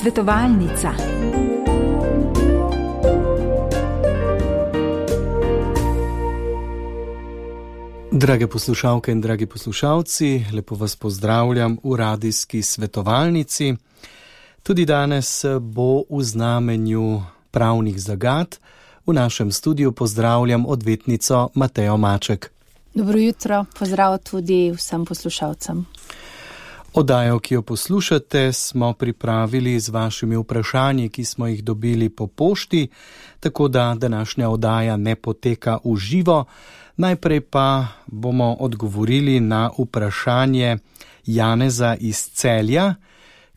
Svetovalnica. Drage poslušalke in dragi poslušalci, lepo vas pozdravljam v radijski svetovalnici. Tudi danes bo v znamenju pravnih zagad. V našem studiu pozdravljam odvetnico Matejo Maček. Dobro jutro, pozdrav tudi vsem poslušalcem. Oddajo, ki jo poslušate, smo pripravili z vašimi vprašanji, ki smo jih dobili po pošti, tako da današnja oddaja ne poteka v živo. Najprej pa bomo odgovorili na vprašanje Janeza iz Celja,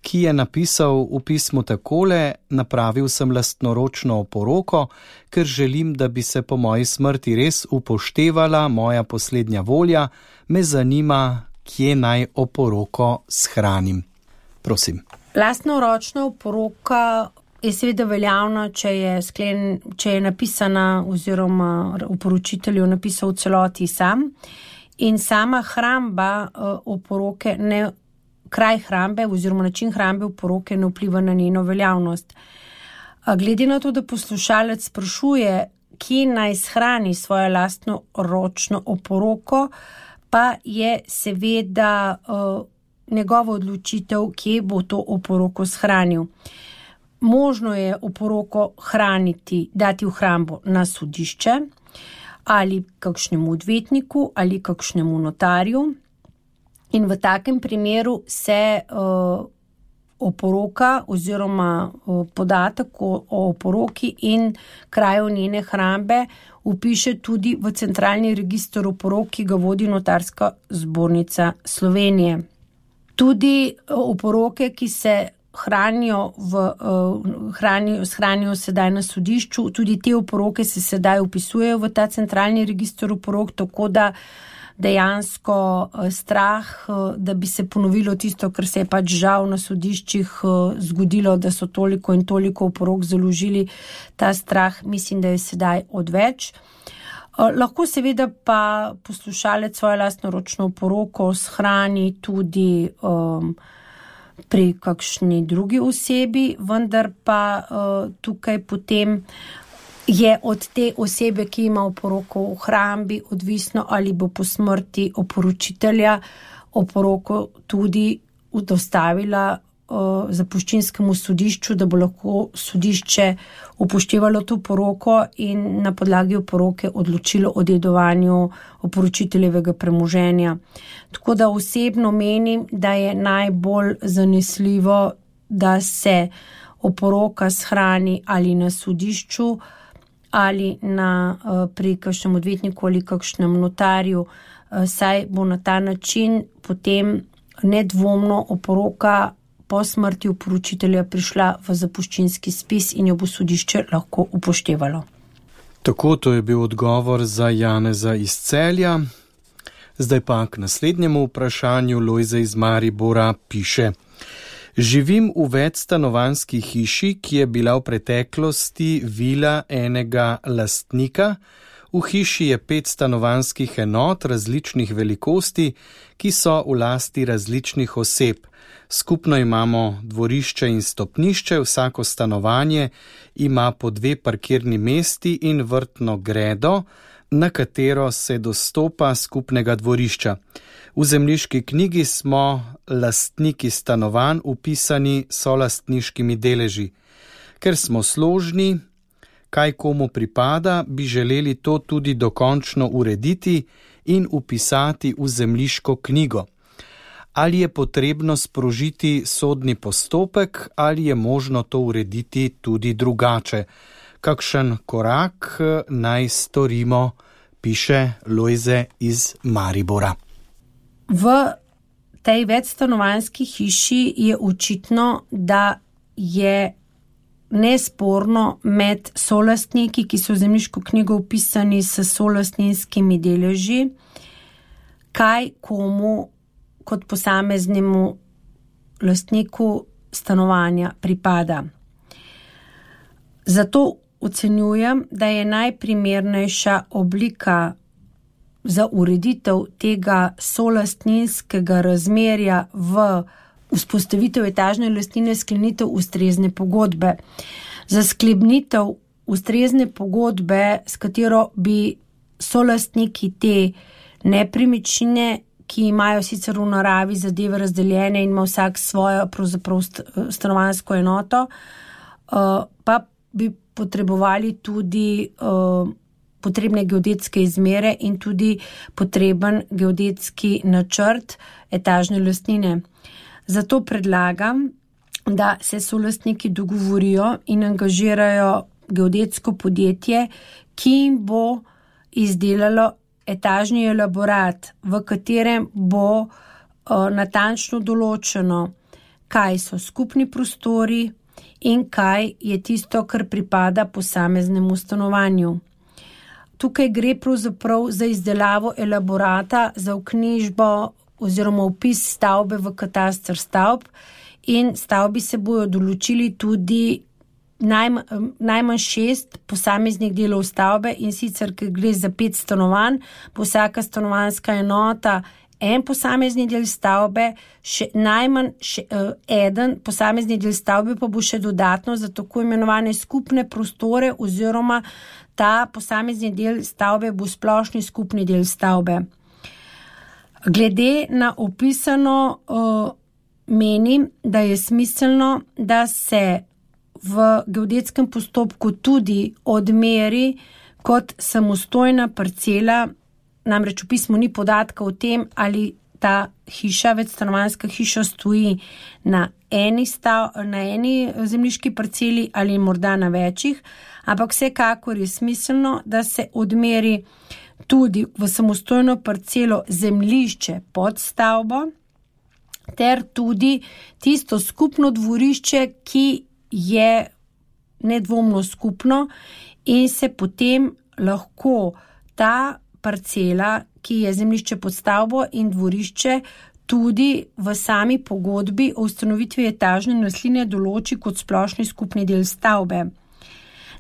ki je napisal v pismu takole: napravil sem lastnoročno oporoko, ker želim, da bi se po moji smrti res upoštevala moja poslednja volja, me zanima, kje naj oporoko shranim. Prosim. Lastnoročna oporoka je seveda veljavna, če je napisana oziroma oporočitelj jo napisal v celoti sam, in sama hramba oporoke kraj hrambe oziroma način hrambe oporoke ne vpliva na njeno veljavnost. Glede na to, da poslušalec sprašuje, kje naj shrani svojo lastnoročno oporoko, pa je seveda njegova odločitev, kje bo to oporoko shranil. Možno je oporoko hraniti, dati v hrambo na sodišče ali kakšnemu odvetniku ali kakšnemu notarju. In v takem primeru se oporoka oziroma podatek o oporoki in kraju njene hrambe vpiše tudi v centralni register oporok, ki ga vodi Notarska zbornica Slovenije. Tudi oporoke, ki se shranijo sedaj na sodišču, tudi te oporoke se sedaj vpisujejo v ta centralni register oporok, tako da dejansko strah, da bi se ponovilo tisto, kar se je pač žal na sodiščih zgodilo, da so toliko in toliko oporok založili, ta strah mislim, da je sedaj odveč. Lahko seveda pa poslušalec svojo lastnoročno oporoko shrani tudi pri kakšni drugi osebi, vendar pa tukaj potem je od te osebe, ki ima oporoko v hrambi, odvisno, ali bo po smrti oporočitelja oporoko tudi dostavila zapuščinskemu sodišču, da bo lahko sodišče upoštevalo to oporoko in na podlagi oporoke odločilo o dedovanju oporočiteljevega premoženja. Tako da osebno menim, da je najbolj zanesljivo, da se oporoka shrani ali na sodišču ali pri kakšnem odvetniku ali kakšnem notarju, saj bo na ta način potem nedvomno oporoka po smrti oporočitelja prišla v zapuščinski spis in jo bo sodišče lahko upoštevalo. Tako, to je bil odgovor za Janeza iz Celja. Zdaj pa k naslednjemu vprašanju. Lojze iz Maribora piše: živim v večstanovanjski hiši, ki je bila v preteklosti vila enega lastnika. V hiši je 5 stanovanjskih enot različnih velikosti, ki so v lasti različnih oseb. Skupno imamo dvorišče in stopnišče, vsako stanovanje ima po 2 parkirni mesti in vrtno gredo, na katero se dostopa skupnega dvorišča. V zemljiški knjigi smo lastniki stanovanj vpisani solastniškimi deleži. Ker smo složni, kaj komu pripada, bi želeli to tudi dokončno urediti in vpisati v zemljiško knjigo. Ali je potrebno sprožiti sodni postopek ali je možno to urediti tudi drugače? Kakšen korak naj storimo, piše Lojze iz Maribora. V tej večstanovanjski hiši je očitno, da je nesporno med solastniki, ki so v zemljiško knjigo vpisani s solastninskimi deleži, kaj komu kot posameznemu lastniku stanovanja pripada. Zato ocenjujem, da je najprimernejša oblika za ureditev tega solastninskega razmerja v vzpostavitev etažne lastnine sklenitev ustrezne pogodbe. Za sklenitev ustrezne pogodbe, s katero bi solastniki te nepremičnine, ki imajo sicer v naravi zadeve razdeljene in ima vsak svojo pravzaprav stanovanjsko enoto, pa bi potrebovali tudi potrebne geodetske izmere in tudi potreben geodetski načrt etažne lastnine. Zato predlagam, da se solastniki dogovorijo in angažirajo geodetsko podjetje, ki jim bo izdelalo etažni elaborat, v katerem bo natančno določeno, kaj so skupni prostori in kaj je tisto, kar pripada posameznemu stanovanju. Tukaj gre pravzaprav za izdelavo elaborata za vknjižbo oziroma vpis stavbe v kataster stavb in stavbi se bojo določili tudi najmanj 6 posameznih delov stavbe in sicer, ker gre za 5 stanovanj, bo vsaka stanovanjska enota en posamezni del stavbe, najmanj eden posamezni del stavbe pa bo še dodatno za tako imenovane skupne prostore oziroma ta posamezni del stavbe bo splošni skupni del stavbe. Glede na opisano menim, da je smiselno, da se v geodetskem postopku tudi odmeri kot samostojna parcela, namreč v pismu ni podatka o tem, ali ta hiša, večstanovanjska hiša stoji na eni zemljiški parceli ali morda na večjih, ampak vsekakor je smiselno, da se odmeri tudi v samostojno parcelo zemljišče pod stavbo, ter tudi tisto skupno dvorišče, ki je nedvomno skupno in se potem lahko ta parcela, ki je zemljišče pod stavbo in dvorišče, tudi v sami pogodbi o ustanovitvi etažne lastnine določi kot splošni skupni del stavbe.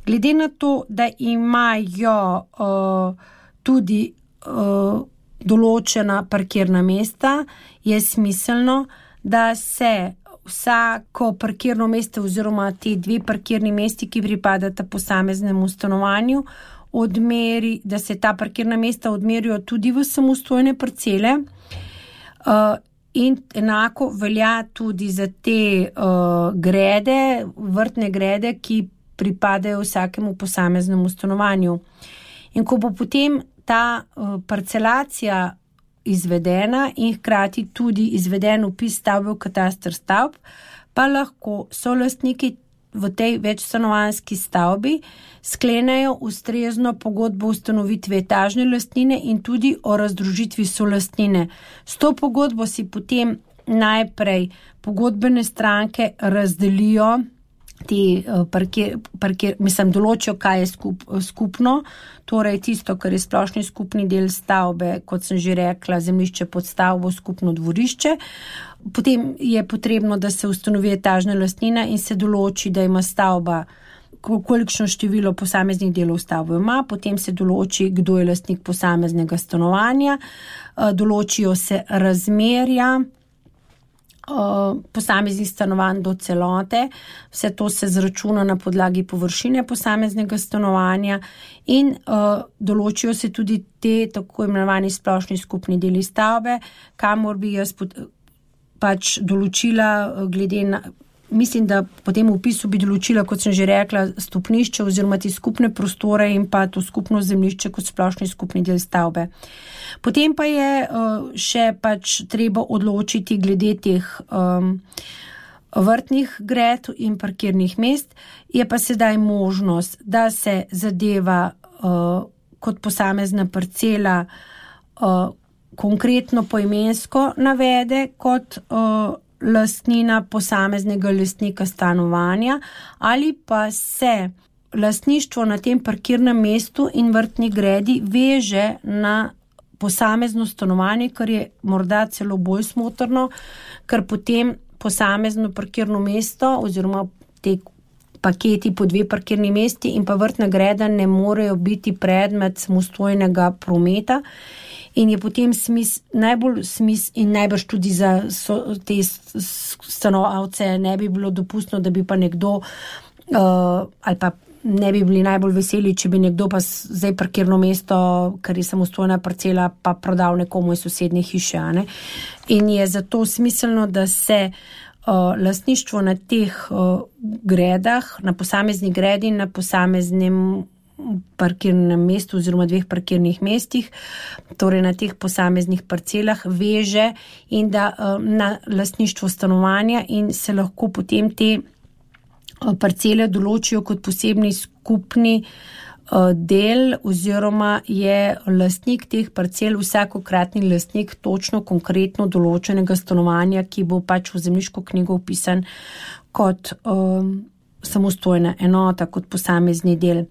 Glede na to, da imajo tudi določena parkirna mesta, je smiselno, da se vsako parkirno mesto oziroma te 2 parkirni mesti, ki pripadata posameznemu stanovanju, odmeri, da se ta parkirna mesta odmerijo tudi v samostojne parcele in enako velja tudi za te grede, vrtne grede, ki pripadajo vsakemu posameznemu stanovanju. In ko bo potem ta parcelacija izvedena in hkrati tudi izveden vpis stavbe v kataster stavb, pa lahko solastniki v tej večstanovanjski stavbi sklenejo ustrezno pogodbo o ustanovitvi etažne lastnine in tudi o razdružitvi solastnine. S to pogodbo si potem najprej pogodbene stranke razdelijo določijo, kaj je skupno, torej tisto, kar je splošni skupni del stavbe, kot sem že rekla, zemljišče pod stavbo, skupno dvorišče. Potem je potrebno, da se ustanovi etažna lastnina in se določi, da ima stavba kolikšno število posameznih delov stavbe ima, potem se določi, kdo je lastnik posameznega stanovanja, določijo se razmerja posameznih stanovanj do celote, vse to se zračuna na podlagi površine posameznega stanovanja in določijo se tudi te tako imenovani splošni skupni deli stavbe, kamor bi jaz pač določila glede na, mislim, da po tem vpisu bi določila, kot sem že rekla, stopnišče oziroma ti skupne prostore in pa to skupno zemljišče kot splošni skupni del stavbe. Potem pa je še pač treba odločiti glede teh vrtnih gred in parkirnih mest. Je pa sedaj možnost, da se zadeva kot posamezna parcela konkretno poimensko navede kot lastnina posameznega lastnika stanovanja ali pa se lastništvo na tem parkirnem mestu in vrtni gredi veže na posamezno stanovanje, kar je morda celo bolj smotrno, ker potem posamezno parkirno mesto oziroma te paketi po 2 parkirni mesti in pa vrtna greda ne morejo biti predmet samostojnega prometa. In je potem najbolj in najbrž tudi za te stanovalce ne bi bilo dopustno, da bi pa nekdo ali pa ne bi bili najbolj veseli, če bi nekdo pa zdaj parkirno mesto, kar je samostojna parcela, pa prodal nekomu iz sosednje hiše. Ne? In je zato smiselno, da se lastništvo na teh gredah, na posamezni gredi, na posameznem parkirnem mestu oziroma 2 parkirnih mestih, torej na teh posameznih parcelah veže in da na lastništvo stanovanja in se lahko potem te parcele določijo kot posebni skupni del oziroma je lastnik teh parcel vsakokratni lastnik točno konkretno določenega stanovanja, ki bo pač v zemljiško knjigo vpisan kot samostojna enota, kot posamezni del.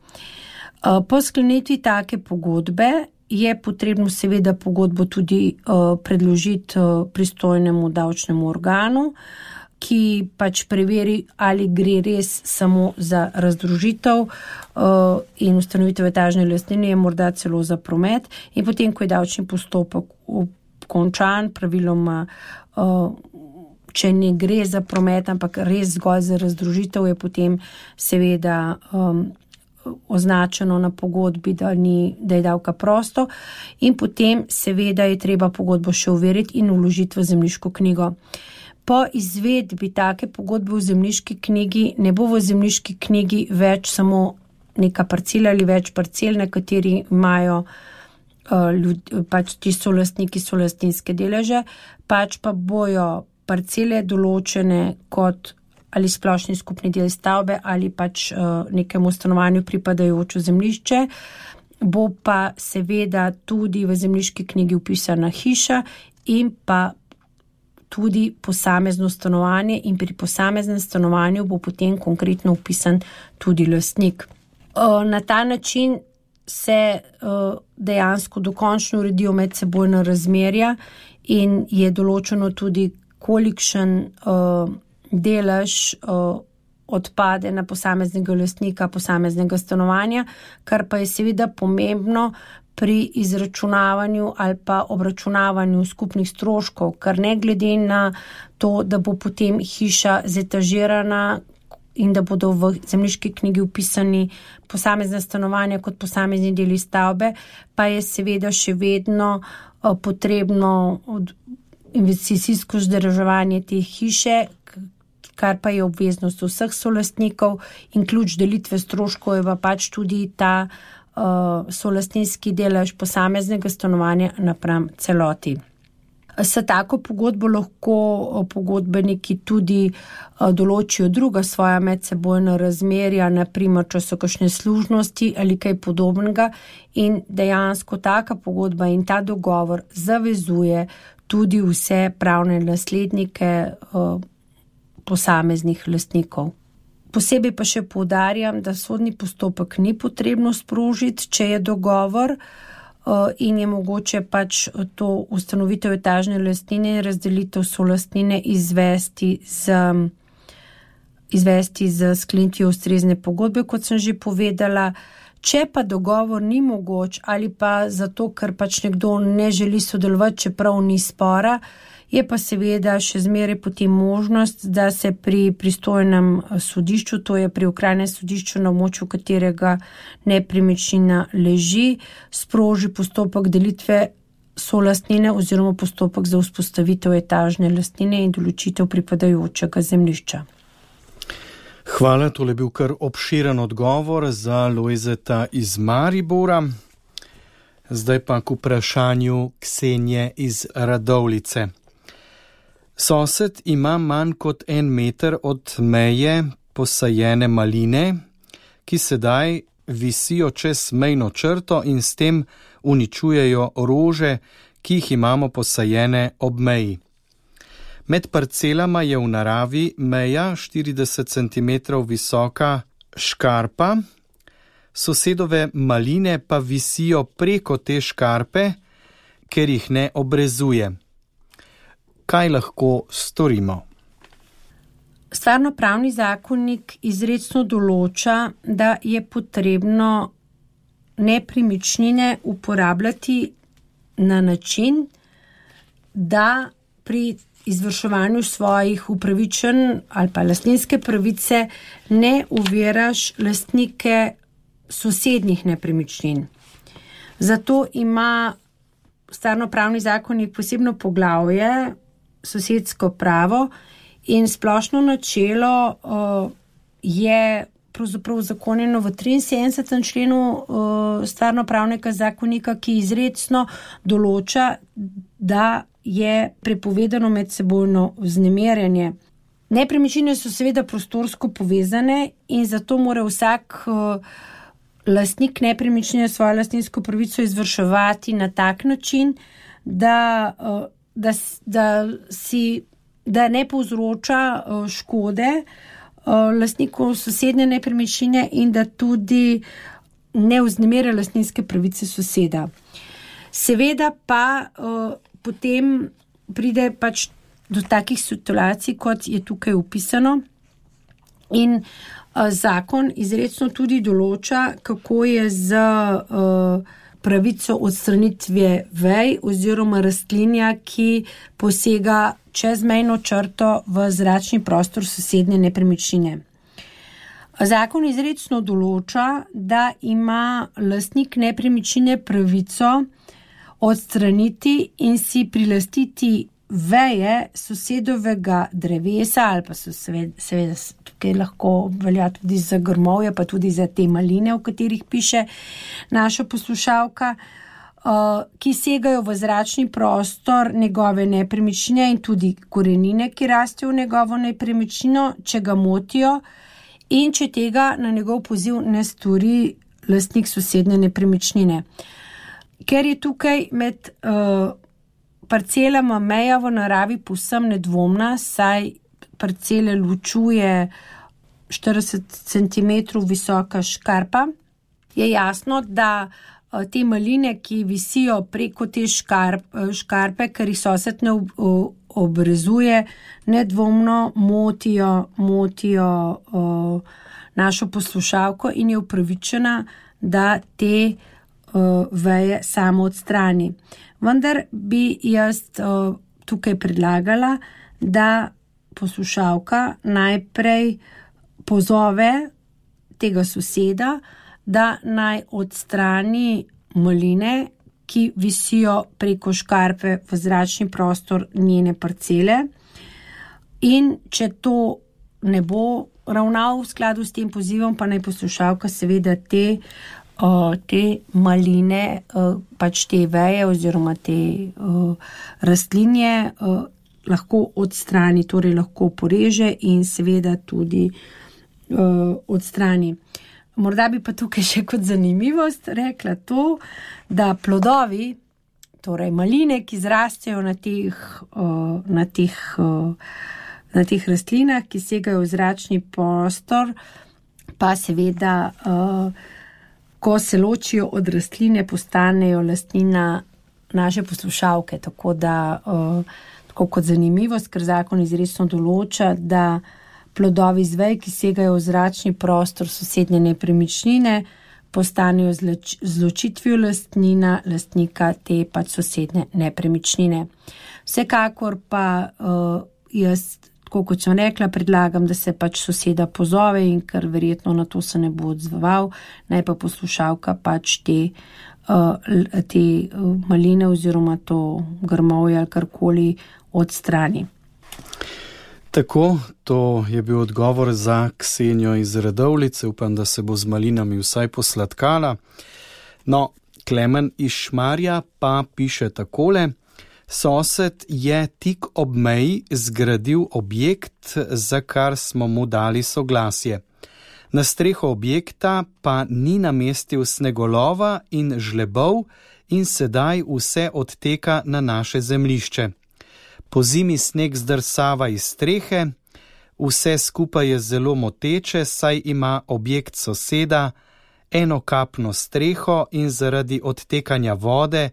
Po sklenitvi take pogodbe je potrebno seveda pogodbo tudi predložiti pristojnemu davčnemu organu, ki pač preveri, ali gre res samo za razdružitev in ustanovitev etažne lastnine, je morda celo za promet. In potem, ko je davčni postopek končan, praviloma, če ne gre za promet, ampak res zgolj za razdružitev, je potem seveda označeno na pogodbi, da je davka prosto in potem seveda je treba pogodbo še overiti in vložiti v zemljiško knjigo. Po izvedbi take pogodbe v zemljiški knjigi ne bo v zemljiški knjigi več samo neka parcela ali več parcel, na kateri imajo pač ti solastniki solastninske deleže, pač pa bojo parcele določene kot ali splošni skupni del stavbe ali pač nekemu stanovanju pripadajoče zemljišče, bo pa seveda tudi v zemljiški knjigi vpisana hiša in pa tudi posamezno stanovanje in pri posameznem stanovanju bo potem konkretno vpisan tudi lastnik. Na ta način se dejansko dokončno uredijo medsebojna razmerja in je določeno tudi, kolikšen delež odpade na posameznega lastnika posameznega stanovanja, kar pa je seveda pomembno pri izračunavanju ali pa obračunavanju skupnih stroškov, kar ne glede na to, da bo potem hiša zetažirana in da bodo v zemljiški knjigi vpisani posamezna stanovanja kot posamezni deli stavbe, pa je seveda še vedno potrebno investicijsko vzdrževanje te hiše, kar pa je obveznost vseh solastnikov in ključ delitve stroškov je pa pač tudi ta solastninski delež posameznega stanovanja napram celoti. S tako pogodbo lahko pogodbeniki tudi določijo druga svoja medsebojna razmerja, na primer, če so kakšne služnosti ali kaj podobnega in dejansko taka pogodba in ta dogovor zavezuje tudi vse pravne naslednike posameznih lastnikov. Posebej pa še poudarjam, da sodni postopek ni potrebno sprožiti, če je dogovor in je mogoče pač to ustanovitev etažne lastnine in razdelitev solastnine izvesti z sklenitvijo ustrezne pogodbe, kot sem že povedala. Če pa dogovor ni mogoč ali pa zato, ker pač nekdo ne želi sodelovati, čeprav ni spora, je pa seveda še zmeraj potem možnost, da se pri pristojnem sodišču, to je pri okrajnem sodišču, na območju katerega nepremičnina leži, sproži postopek delitve solastnine oziroma postopek za vzpostavitev etažne lastnine in določitev pripadajočega zemljišča. Hvala, tole je bil kar obširen odgovor za Lojzeta iz Maribora. Zdaj pa k vprašanju Ksenije iz Radovljice. Sosed ima manj kot 1 meter od meje posajene maline, ki sedaj visijo čez mejno črto in s tem uničujejo rože, ki jih imamo posajene ob meji. Med parcelama je v naravi meja 40 cm visoka škarpa, sosedove maline pa visijo preko te škarpe, ker jih ne obrezuje. Kaj lahko storimo? Stvarnopravni zakonik izrecno določa, da je potrebno nepremičnine uporabljati na način, da pri izvrševanju svojih upravičenj ali pa lastninske pravice ne oviraš lastnike sosednjih nepremičnin. Zato ima stvarnopravni zakonik posebno poglavje sosedsko pravo in splošno načelo je pravzaprav uzakonjeno v 73. členu stvarnopravnega zakonika, ki izrecno določa, da je prepovedano medsebojno vznemirjanje. Nepremičnine so seveda prostorsko povezane in zato mora vsak lastnik nepremičnine svojo lastninsko pravico izvrševati na tak način, da ne povzroča škode lastnikov sosednje nepremičnine in da tudi ne vznemirja lastninske pravice soseda. Seveda pa potem pride pač do takih situacij, kot je tukaj opisano, in zakon izrecno tudi določa, kako je z pravico odstranitve vej oziroma rastlinja, ki posega čezmejno črto v zračni prostor sosednje nepremičnine. Zakon izrecno določa, da ima lastnik nepremičnine pravico odstraniti in si prilastiti veje sosedovega drevesa, ali pa so seveda tukaj lahko velja tudi za grmovje, pa tudi za te maline, o katerih piše naša poslušalka, ki segajo v zračni prostor njegove nepremičnine in tudi korenine, ki rastejo v njegovo nepremičnino, če ga motijo in če tega na njegov poziv ne stori lastnik sosednje nepremičnine. Ker je tukaj med parcelama meja v naravi povsem nedvomna, saj parcele ločuje 40 cm visoka škarpa, je jasno, da te maline, ki visijo preko te škarpe, ker jih sosed ne obrezuje, nedvomno motijo našo poslušalko in je upravičena, da te veje samo odstrani. Vendar bi jaz tukaj predlagala, da poslušalka najprej pozove tega soseda, da naj odstrani maline, ki visijo preko škarpe v zračni prostor njene parcele. In če to ne bo ravnal v skladu s tem pozivom, pa naj poslušalka seveda te maline, pač te veje oziroma te rastlinje lahko odstrani, torej lahko poreže in seveda tudi odstrani. Morda bi pa tukaj še kot zanimivost rekla to, da plodovi, torej maline, ki zrastejo na teh rastlinah, ki segajo v zračni prostor, pa seveda ko se ločijo od rastline, postanejo lastnina naše poslušalke. Tako kot zanimivost, ker zakon izrecno določa, da plodovi z vej, ki segajo v zračni prostor sosednje nepremičnine, postanejo z ločitvijo lastnika te pač sosednje nepremičnine. Vsekakor pa jaz, tako kot sem rekla, predlagam, da se pač soseda pozove in ker verjetno na to se ne bo odzval, naj pa poslušalka pač te maline oziroma to grmovje ali karkoli odstrani. Tako, to je bil odgovor za Ksenijo iz Radovljice. Upam, da se bo z malinami vsaj posladkala. No, Klemen iz Šmarja pa piše takole. Sosed je tik ob meji zgradil objekt, za kar smo mu dali soglasje. Na streho objekta pa ni namestil snegolova in žlebov in sedaj vse odteka na naše zemljišče. Po zimi sneg zdrsava iz strehe, vse skupaj je zelo moteče, saj ima objekt soseda enokapno streho in zaradi odtekanja vode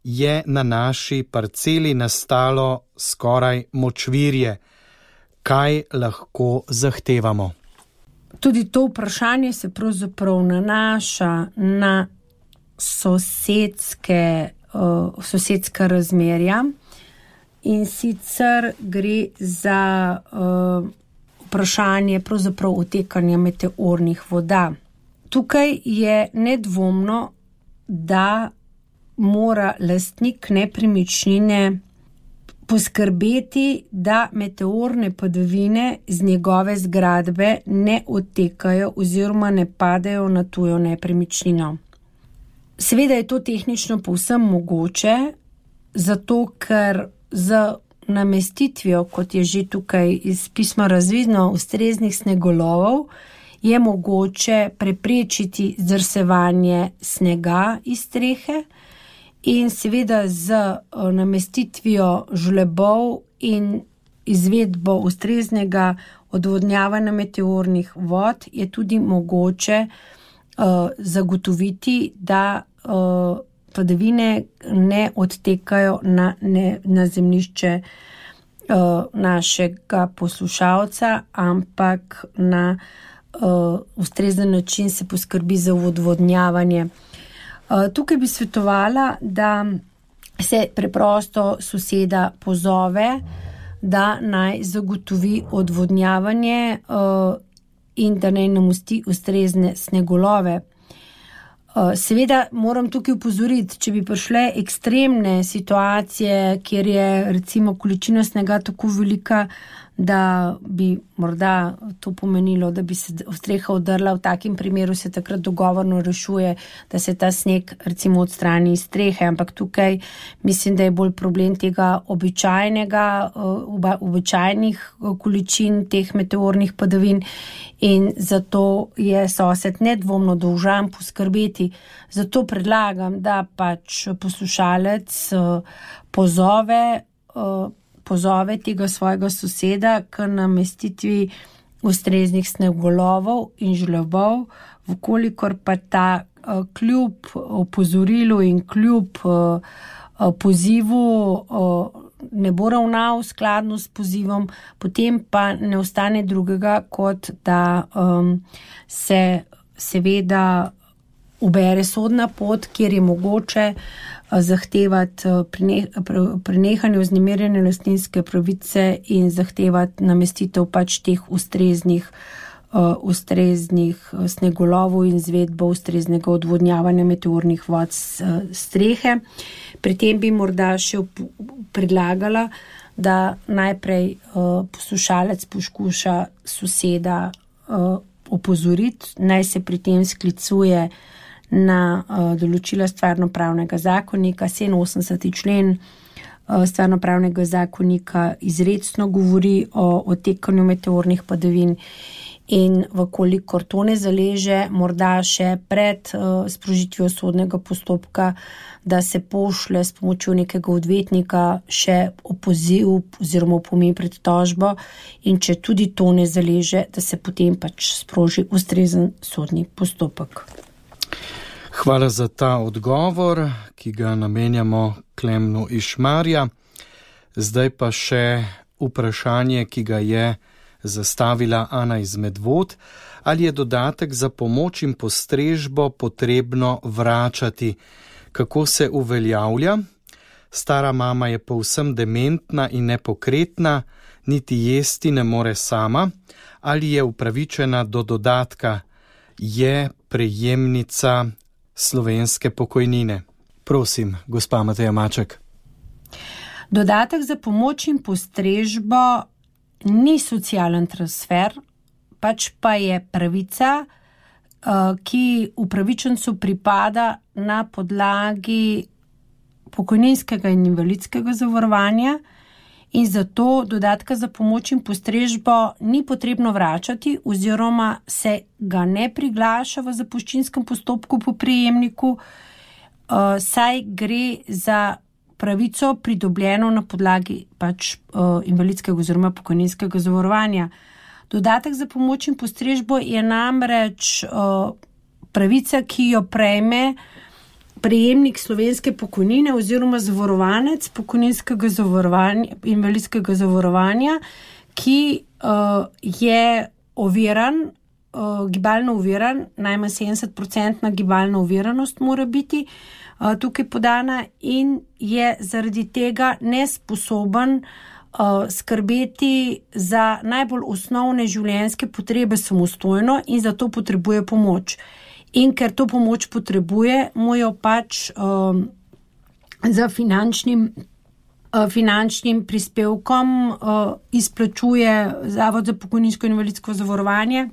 je na naši parceli nastalo skoraj močvirje. kaj lahko zahtevamo? Tudi to vprašanje se pravzaprav nanaša na sosedska razmerja, in sicer gre za vprašanje pravzaprav odtekanja meteornih voda. Tukaj je nedvomno, da mora lastnik nepremičnine poskrbeti, da meteorne padavine z njegove zgradbe ne odtekajo oziroma ne padajo na tujo nepremičnino. Seveda je to tehnično povsem mogoče, zato ker z namestitvijo, kot je že tukaj iz pisma razvidno, ustreznih snegolovov, je mogoče preprečiti zdrsevanje snega iz strehe in seveda z namestitvijo žlebov in izvedbo ustreznega odvodnjavanja meteornih vod je tudi mogoče zagotoviti, da padavine ne odtekajo na zemljišče našega poslušalca, ampak na ustrezen način se poskrbi za odvodnjavanje. Tukaj bi svetovala, da se preprosto soseda pozove, da naj zagotovi odvodnjavanje in da naj namosti ustrezne snegolove. Seveda moram tukaj upozoriti, če bi prišle ekstremne situacije, kjer je recimo količina snega tako velika, da bi morda to pomenilo, da bi se streha odrla, v takem primeru se takrat dogovorno rešuje, da se ta sneg recimo odstrani iz strehe, ampak tukaj mislim, da je bolj problem tega običajnih količin teh meteornih padavin in zato je sosed nedvomno dolžan poskrbeti. Zato predlagam, da pač poslušalec pozove tega svojega soseda k namestitvi ustreznih snegolovov in žlebov, vkolikor pa ta kljub opozorilu in kljub pozivu ne bo ravnal skladno s pozivom, potem pa ne ostane drugega, kot da se seveda ubere sodna pot, kjer je mogoče zahtevati prenehanje vznemirjene lastninske pravice in zahtevati namestitev pač teh ustreznih snegolovov in izvedbo ustreznega odvodnjavanja meteornih vod s strehe. Pri tem bi morda še predlagala, da najprej poslušalec poskuša soseda opozoriti, naj se pri tem sklicuje na določila stvarnopravnega zakonika. 87. člen stvarnopravnega zakonika izrecno govori o odtekanju meteornih padavin in vkolikor to ne zaleže, morda še pred sprožitvijo sodnega postopka, da se pošlje s pomočjo nekega odvetnika še opoziv oziroma opomin pred tožbo in če tudi to ne zaleže, da se potem pač sproži ustrezen sodni postopek. Hvala za ta odgovor, ki ga namenjamo Klemnu iz Šmarja. Zdaj pa še vprašanje, ki ga je zastavila Ana iz Medvod. Ali je dodatek za pomoč in postrežbo potrebno vračati? Kako se uveljavlja? Stara mama je povsem dementna in nepokretna, niti jesti ne more sama. Ali je upravičena do dodatka? Je prejemnica slovenske pokojnine? Prosim, gospa Mateja Maček. Dodatek za pomoč in postrežbo ni socialen transfer, pač pa je pravica, ki upravičencu pripada na podlagi pokojninskega in invalidskega zavarovanja in zato dodatka za pomoč in postrežbo ni potrebno vračati oziroma se ga ne priglaša v zapuščinskem postopku po prejemniku, saj gre za pravico pridobljeno na podlagi pač invalidskega oziroma pokojninskega zavarovanja. Dodatek za pomoč in postrežbo je namreč pravica, ki jo prejme prejemnik slovenske pokojnine oziroma zavarovanec pokojninskega zavarovanja, invalidskega zavarovanja, ki je oviran, gibalno oviran, najmanj 70% gibalna oviranost mora biti tukaj podana in je zaradi tega nesposoben skrbeti za najbolj osnovne življenjske potrebe samostojno in zato potrebuje pomoč. In ker to pomoč potrebuje, mu jo pač za finančnim prispevkom izplačuje Zavod za pokojninsko in invalidsko zavarovanje.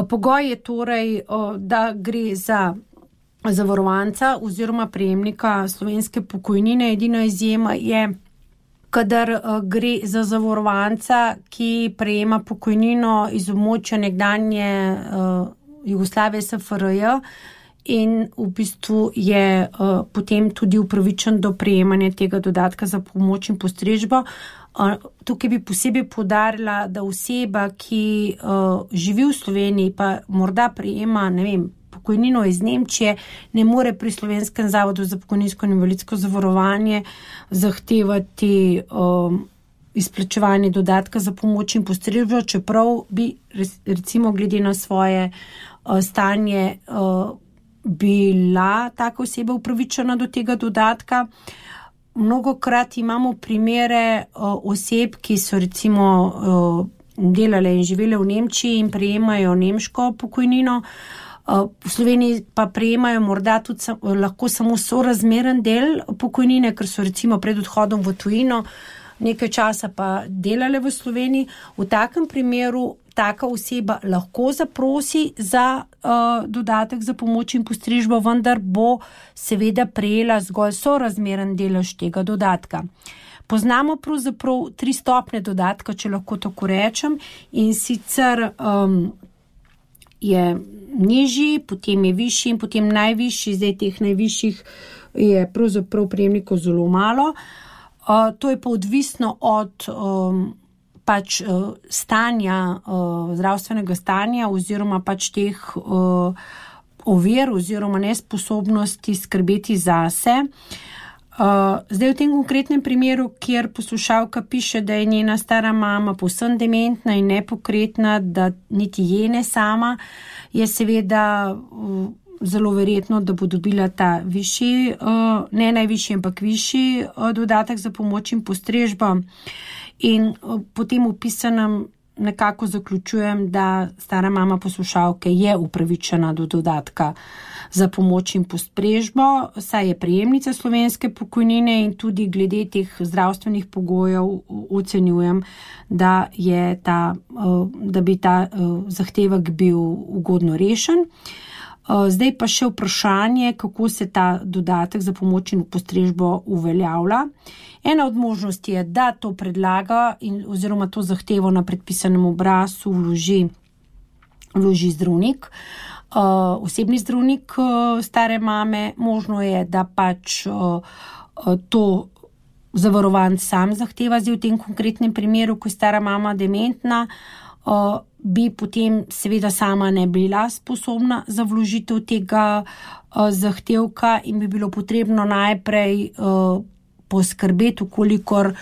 Pogoj je torej, da gre za zavarovanca oziroma prejemnika slovenske pokojnine. Edina izjema je, kadar gre za zavarovanca, ki prejema pokojnino iz območja nekdanje Jugoslavije SFRJ in v bistvu je potem tudi upravičen do prejemanja tega dodatka za pomoč in postrežbo. Tukaj bi posebej poudarila, da oseba, ki živi v Sloveniji, pa morda prejema, pokojnino iz Nemčije, ne more pri Slovenskem zavodu za pokojninsko in invalidsko zavarovanje zahtevati izplačevanje dodatka za pomoč in postrežbo, čeprav bi recimo glede na svoje stanje bila taka oseba upravičena do tega dodatka. Mnogokrat imamo primere oseb, ki so recimo delale in živele v Nemčiji in prejemajo nemško pokojnino, v Sloveniji pa prejemajo morda tudi lahko samo sorazmeren del pokojnine, ker so recimo pred odhodom v tujino nekaj časa pa delale v Sloveniji. V takem primeru taka oseba lahko zaprosi za dodatek za pomoč in postrežbo, vendar bo seveda prejela zgolj sorazmeren delež tega dodatka. Poznamo pravzaprav 3 stopnje dodatka, če lahko tako rečem, in sicer je nižji, potem je višji in potem najvišji. Zdaj teh najvišjih je pravzaprav prejemnikov zelo malo. To je pa odvisno od stanja, zdravstvenega stanja oziroma teh ovir oziroma nesposobnosti skrbeti zase. Zdaj v tem konkretnem primeru, kjer poslušalka piše, da je njena stara mama povsem dementna in nepokretna, da niti je ne sama, je seveda zelo verjetno, da bo dobila ta višji, ne najvišji, ampak višji dodatek za pomoč in postrežbo. In potem opisanem nekako zaključujem, da stara mama poslušalke je upravičena do dodatka za pomoč in postrežbo, saj je prejemnica slovenske pokojnine in tudi glede teh zdravstvenih pogojev ocenjujem, da bi ta zahtevek bil ugodno rešen. Zdaj pa še vprašanje, kako se ta dodatek za pomoč in postrežbo uveljavlja. Ena od možnosti je, da to predlaga oziroma to zahtevo na predpisanem obrazcu vloži zdravnik, osebni zdravnik stare mame. Možno je, da to zavarovanec sam zahteva. Zdaj v tem konkretnem primeru, ko je stara mama dementna, bi potem seveda sama ne bila sposobna za vložitev tega zahtevka in bi bilo potrebno najprej poskrbeti, ukolikor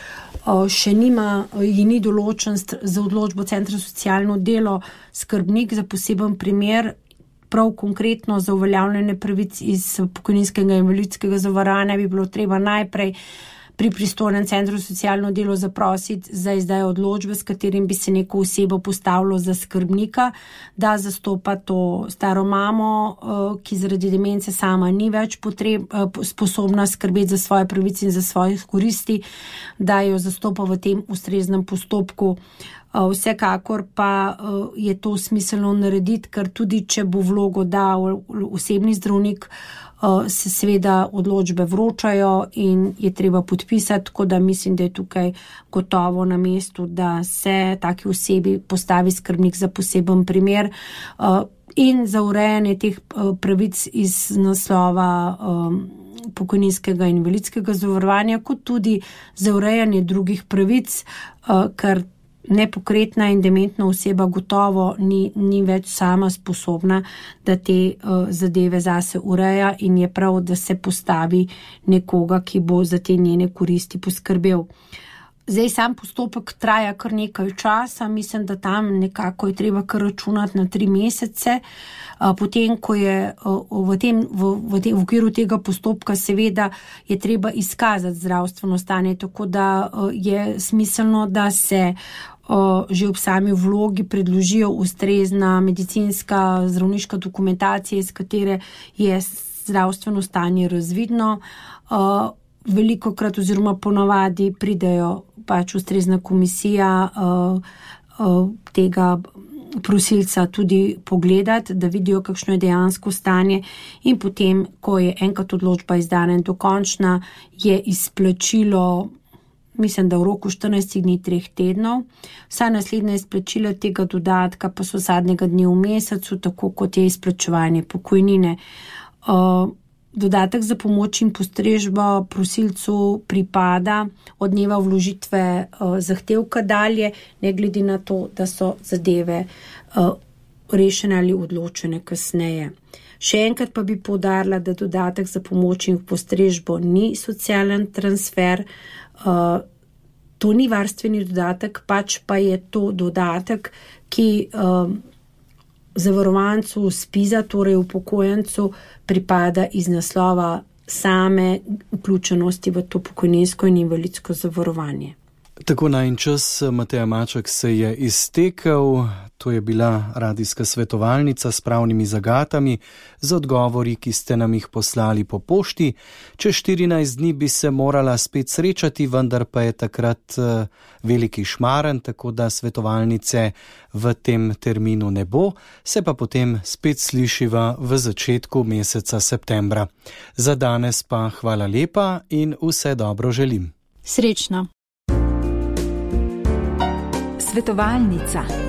še ji ni določen za odločbo Centra za socialno delo skrbnik za poseben primer, prav konkretno za uveljavljanje pravic iz pokojninskega in invalidskega zavarovanja bi bilo treba najprej pri pristojnem Centru za socialno delo zaprositi za izdajo odločbe, s katerim bi se neko osebo postavilo za skrbnika, da zastopa to staro mamo, ki zaradi demence sama ni več sposobna skrbeti za svoje pravice in za svoje koristi, da jo zastopa v tem ustreznem postopku. Vsekakor pa je to smiselno narediti, ker tudi če bo vlogo dal osebni zdravnik, se seveda odločbe vročajo in je treba podpisati, tako da mislim, da je tukaj gotovo na mestu, da se taki osebi postavi skrbnik za poseben primer in za urejanje teh pravic iz naslova pokojninskega in invalidskega zavarovanja, kot tudi za urejanje drugih pravic, ker nepokretna in dementna oseba gotovo ni več sama sposobna, da te zadeve zase ureja in je prav, da se postavi nekoga, ki bo za te njene koristi poskrbel. Zdaj sam postopek traja kar nekaj časa, mislim, da tam nekako je treba kar računati na 3 mesece. Potem, ko je v okviru tega postopka seveda je treba izkazati zdravstveno stanje, tako da je smiselno, da se že ob sami vlogi predložijo ustrezna medicinska zdravniška dokumentacija, iz katere je zdravstveno stanje razvidno. Velikokrat oziroma ponavadi pridejo pač ustrezna komisija tega prosilca tudi pogledati, da vidijo, kakšno je dejansko stanje, in potem, ko je enkrat odločba izdana in dokončna, je izplačilo, mislim, da v roku 14 dni 3 tednov. Vsa naslednja izplačila tega dodatka pa so zadnjega dne v mesecu, tako kot je izplačevanje pokojnine. Dodatek za pomoč in postrežbo prosilcu pripada od dneva vložitve zahtevka dalje, ne glede na to, da so zadeve rešene ali odločene kasneje. Še enkrat pa bi poudarila, da dodatek za pomoč in postrežbo ni socialen transfer, to ni varstveni dodatek, pač pa je to dodatek, ki zavarovancu SPIZ-a, torej upokojencu, pripada iz naslova same vključenosti v to pokojninsko in invalidsko zavarovanje. Tako najin čas, Mateja Maček, se je iztekel. To je bila radijska svetovalnica s pravnimi zagatami z odgovori, ki ste nam jih poslali po pošti. Čez 14 dni bi se morala spet srečati, vendar pa je takrat veliki šmaren, tako da svetovalnice v tem terminu ne bo, se pa potem spet slišiva v začetku meseca septembra. Za danes pa hvala lepa in vse dobro želim. Srečno. Svetovalnica.